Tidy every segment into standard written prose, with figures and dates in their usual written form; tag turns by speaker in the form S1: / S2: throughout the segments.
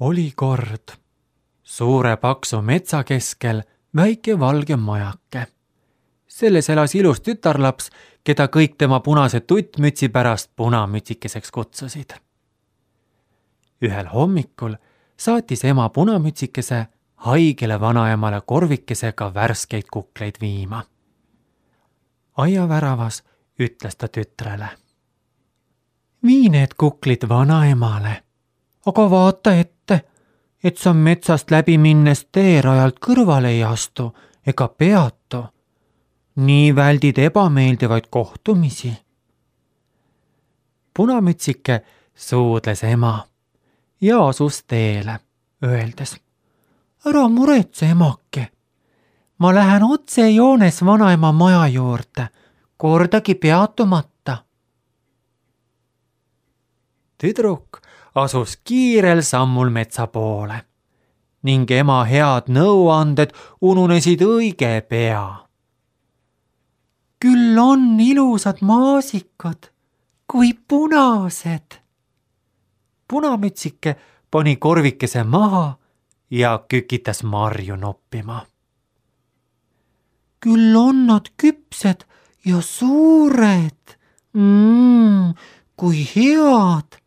S1: Oli kord suure paksu metsa keskel väike valge majake. Selles elas ilus tütarlaps, keda kõik tema punase tuttmütsi pärast punamütsikeseks kutsusid. Ühel hommikul saatis ema punamütsikese haigele vanaemale korvikesega värskeid kukleid viima. Aiaväravas ütles ta tütrele: "Vii need kuklid vanaemale, aga vaata ette, et sa metsast läbi minnes teerajalt kõrvale ei astu ega peatu. Nii väldid ebameeldivaid kohtumisi." Punamütsike suudles ema ja asus teele, öeldes: "Ära muretse, emake. Ma lähen otse joones vanaema maja juurde, kordagi peatumata." Tüdruk asus kiirel sammul metsa poole ning ema head nõuanded ununesid õige pea. "Küll on ilusad maasikad, kui punased." Punamütsike pani korvikese maha ja kükitas marju noppima. "Küll on nad küpsed ja suured. Kui head.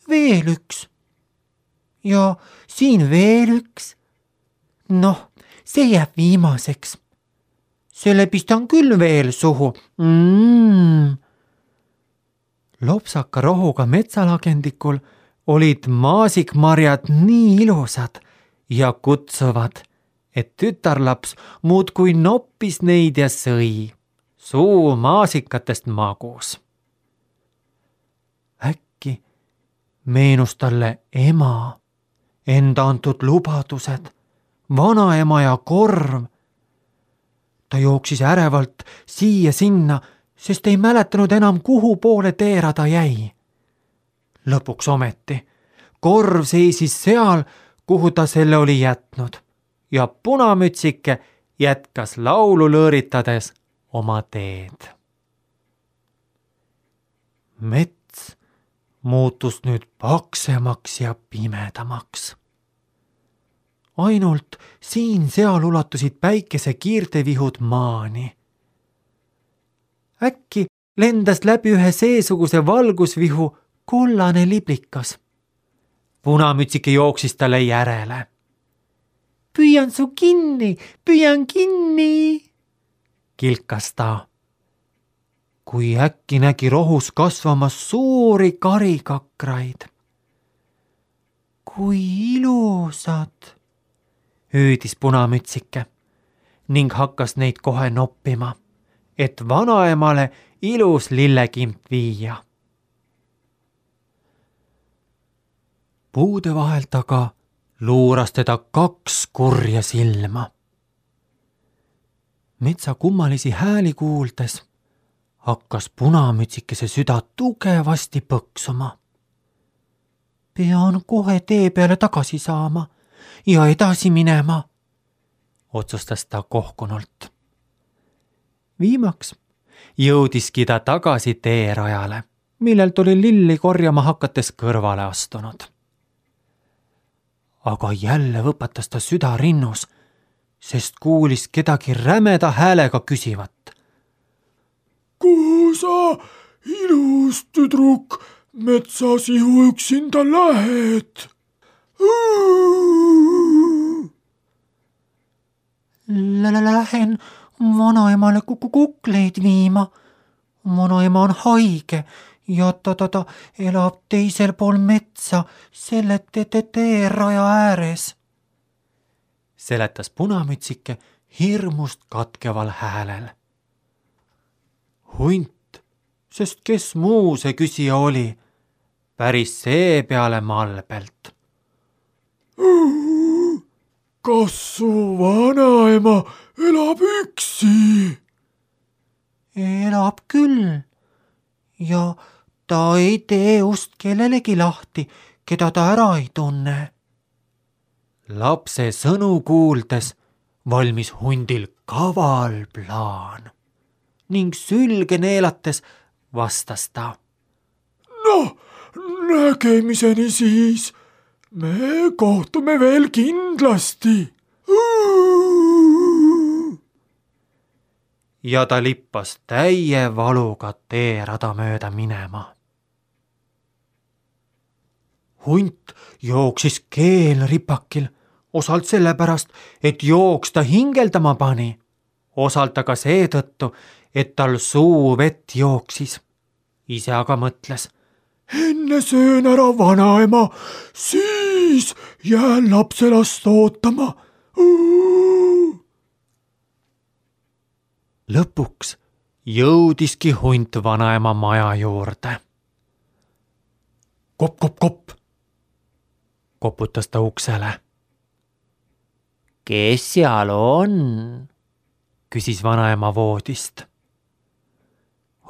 S1: Veel üks. Ja siin veel üks. Noh, see jääb viimaseks. Selle pistan küll veel suhu. Lopsaka rohuga metsalagendikul olid maasikmarjad nii ilusad ja kutsuvad, et tütarlaps muudkui noppis neid ja sõi. Suu maasikatest magus. Äkki meenus talle ema, enda antud lubadused, vanaema ja korv. Ta jooksis ärevalt siia-sinna, sest ei mäletanud enam, kuhu poole teerada jäi. Lõpuks ometi korv seisis seal, kuhu ta selle oli jätnud, ja punamütsike jätkas laulu lõõritades oma teed. Mets muutus nüüd paksemaks ja pimedamaks. Ainult siin-seal ulatusid päikese kiirtevihud maani. Äkki lendas läbi ühe seesuguse valgusvihu kollane liblikas. Punamütsike jooksis talle järele. "Püüan su kinni, püüan kinni," kilkas ta. Kui äkki nägi rohus kasvamas suuri karikakraid. "Kui ilusad," hüüdis punamütsike ning hakkas neid kohe noppima, et vanaemale ilus lillekimp viia. Puude vahelt aga luuras teda 2 kurja silma. Metsa kummalisi hääli kuuldes hakkas punamütsikese süda tugevasti põksuma. "Pean kohe tee peale tagasi saama ja edasi minema," otsustas ta kohkunult. Viimaks jõudiski ta tagasi teerajale, millelt oli lilli korjama hakates kõrvale astunud. Aga jälle võpatas ta süda rinnus, sest kuulis kedagi rämeda häälega küsivat:
S2: "Kuhu sa, ilus tüdruk, metsasihu üksinda lähed?"
S1: "Lähen vanaemale kukleid viima. Vanaema on haige ja ta elab teisel pool metsa, selle teeraja ääres," seletas punamütsike hirmust katkeval häälel. Hunt, sest kes muu see küsija oli, päris seepeale malbelt:
S2: "Kas su vanaema elab üksi?"
S1: "Elab küll ja ta ei tee ust kellelegi lahti, keda ta ära ei tunne." Lapse sõnu kuuldes valmis hundil kaval plaan ning sülge neelates vastas ta:
S2: "Noh, nägemiseni siis. me kohtume veel kindlasti.
S1: Ja ta lippas täie valuga teerada mööda minema. Hunt jooksis keelripakil, osalt sellepärast, et jooksta hingeldama pani, osalt aga seetõttu, et tal suu vett jooksis. Ise aga mõtles:
S2: enne söön ära vanaema, siis jään lapselast ootama.
S1: Lõpuks jõudiski hunt vanaema maja juurde. Kopp, kopp, kopp, koputas ta uksele. Kes seal on? Küsis vanaema voodist.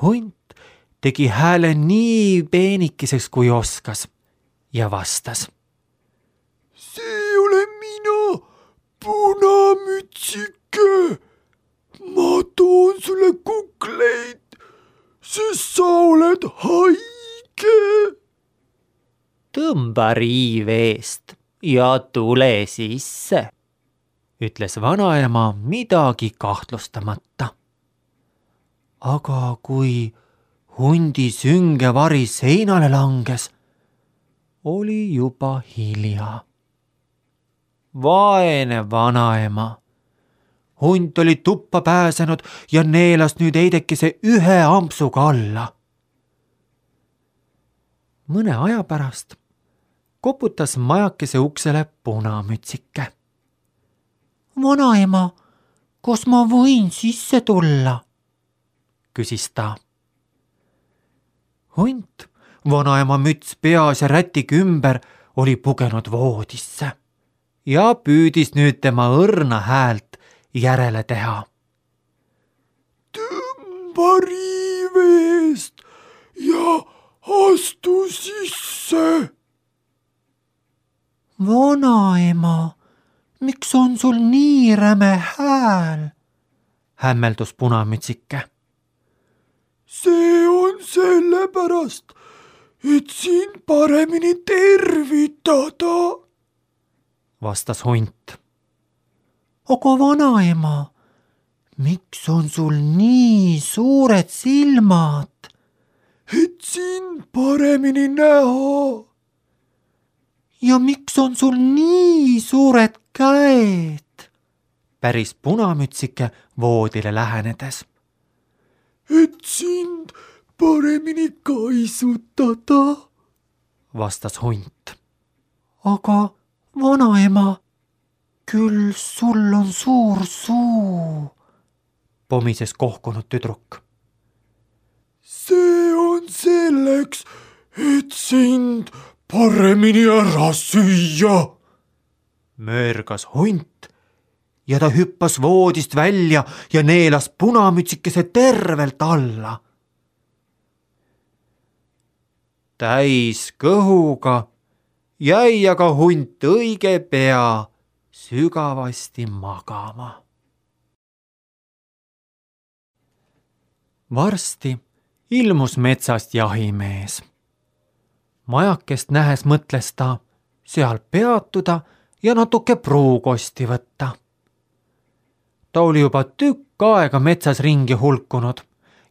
S1: Hunt tegi hääle nii peenikeseks kui oskas ja vastas:
S2: see olen mina, punamütsike. Ma toon sulle kukleid, sest sa oled haige.
S1: Tõmba riiv eest ja tule sisse, ütles vanaema midagi kahtlustamata. Aga kui hundi sünge vari seinale langes, oli juba hilja. Vaene vanaema. Hunt oli tuppa pääsenud ja neelas nüüd eidekese ühe ampsuga alla. Mõne aja pärast koputas majakese uksele punamütsike. Vanaema, kas ma võin sisse tulla? Küsis ta. Hunt, vanaema müts peas ja rätik ümber, oli pugenud voodisse ja püüdis nüüd tema õrna häält järele teha.
S2: Tõmba riiv eest ja astu sisse.
S1: Vanaema, miks on sul nii räme hääl? Hämmeldus punamütsike.
S2: See on sellepärast, et sind paremini tervitada,
S1: vastas hunt. Aga vanaema, miks on sul nii suured silmad?
S2: Et sind paremini näha.
S1: Ja miks on sul nii suured käed? Päris punamütsike voodile lähenedes.
S2: Et sind paremini kaisutada,
S1: vastas hunt. Aga vanaema, küll sul on suur suu, pomises kohkunud tüdruk.
S2: See on selleks, et sind paremini ära süüa,
S1: möörgas hunt ja ta hüppas voodist välja ja neelas punamütsikese tervelt alla. Täis kõhuga jäi aga hunt õige pea sügavasti magama. Varsti ilmus metsast jahimees. Majakest nähes mõtles ta seal peatuda ja natuke pruukosti võtta. Ta oli juba tükk aega metsas ringi hulkunud,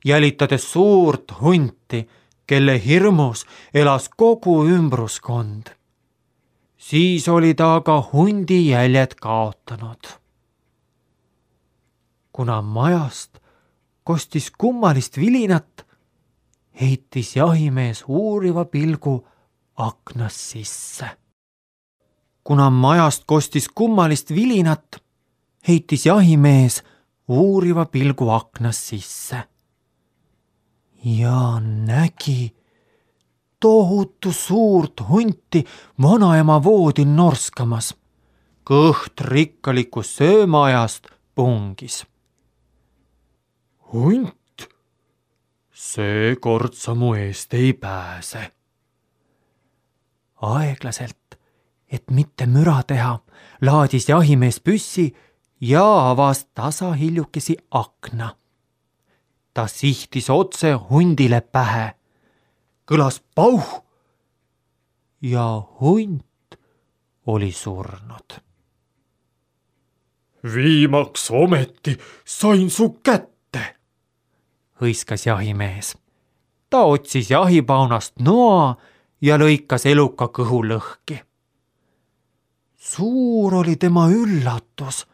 S1: jälitades suurt hunti, kelle hirmus elas kogu ümbruskond. Siis oli ta aga hundi jäljed kaotanud. Kuna majast kostis kummalist vilinat, heitis jahimees uuriva pilgu aknast sisse. Kuna majast kostis kummalist vilinat, heitis jahimees uuriva pilgu aknast sisse. Ja nägi tohutu suurt hunti vanaema voodil norskamas. Kõht rikkalikus söömaajast pungis.
S2: Hunt, seekord sa mu eest ei pääse.
S1: Aeglaselt, et mitte müra teha, laadis jahimees püssi ja avas tasahiljukesi akna. Ta sihtis otse hundile pähe. Kõlas pauh ja hunt oli surnud.
S2: Viimaks ometi sain su kätte,
S1: hõiskas jahimees. Ta otsis jahipaunast noa ja lõikas eluka kõhu lõhki. Suur oli tema üllatus,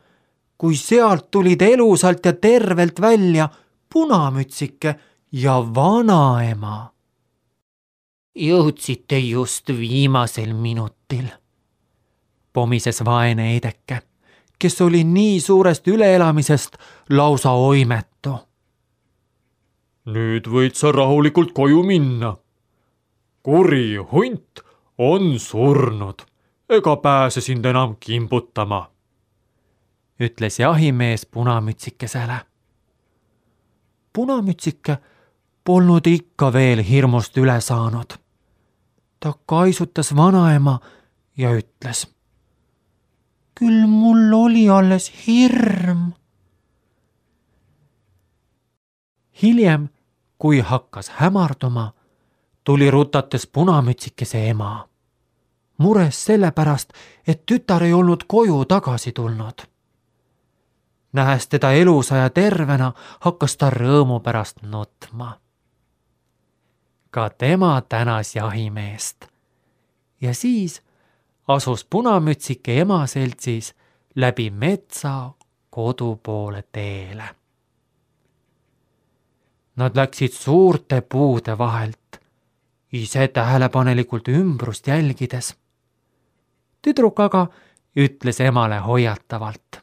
S1: kui sealt tulid elusalt ja tervelt välja Punamütsike ja vanaema. Jõudsite just viimasel minutil, pomises vaene Eideke, kes oli nii suurest üleelamisest lausa oimetu.
S2: Nüüd võid sa rahulikult koju minna. Kuri hunt on surnud, ega pääse sind enam kimbutama,
S1: ütles jahimees Punamütsikesele. Punamütsike polnud ikka veel hirmust üle saanud. Ta kaisutas vanaema ja ütles: küll mul oli alles hirm. Hiljem, kui hakkas hämarduma, tuli rutates Punamütsikese ema. Mures sellepärast, et tütar ei olnud koju tagasi tulnud. Nähes teda elusa ja tervena, hakkas ta rõõmu pärast nutma. Ka tema tänas jahimeest. Ja siis asus Punamütsike ema seltsis läbi metsa kodu poole teele. Nad läksid suurte puude vahelt, ise tähelepanelikult ümbrust jälgides. Tüdruk aga ütles emale hoiatavalt: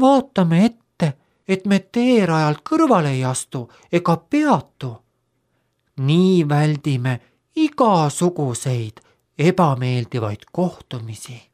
S1: vaatame ette, et me teerajalt kõrvale ei astu ega peatu. Nii väldime igasuguseid ebameeldivaid kohtumisi.